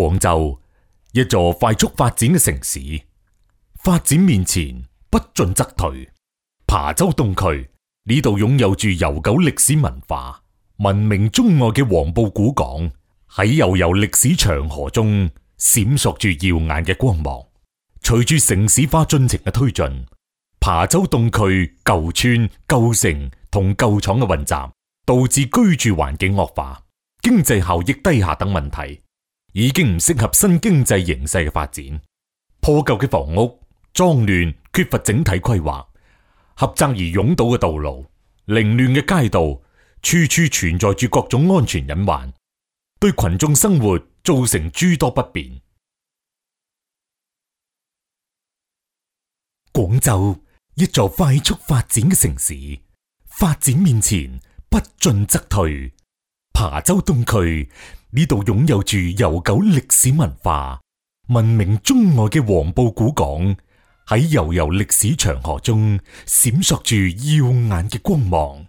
廣州，一座快速發展嘅城市，發展面前不進則退。琶洲東區呢度擁有住悠久歷史文化、聞名中外嘅黃埔古港，喺悠悠歷史長河中閃爍住耀眼嘅光芒。隨住城市化進程嘅推進，琶洲東區舊村、舊城同舊廠嘅混雜，導致居住環境惡化、經濟效益低下等問題，已經唔適合新經濟形勢嘅發展。破舊嘅房屋、髒亂缺乏整體規劃、狹窄而擁堵嘅道路、凌亂嘅街道，處處存在住各種安全隱患，對群眾生活造成諸多不便。廣州，一座快速發展嘅城市，發展面前不進則退。琶洲東區呢度擁有住悠久歷史文化、聞名中外嘅黃埔古港，喺悠悠歷史長河中閃爍住耀眼嘅光芒。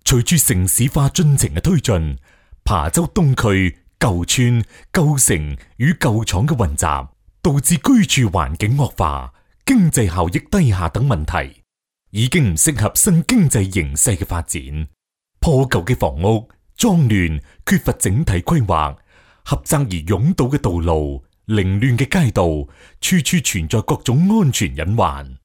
隨住城市化進程嘅推進，琶洲東區舊村、舊城與舊廠嘅混雜，導致居住環境惡化、經濟效益低下等問題，已經唔適合新經濟形勢嘅發展。破舊嘅房屋、髒亂缺乏整體規劃、狹窄而擁堵嘅道路、凌亂嘅街道，處處存在各種安全隱患，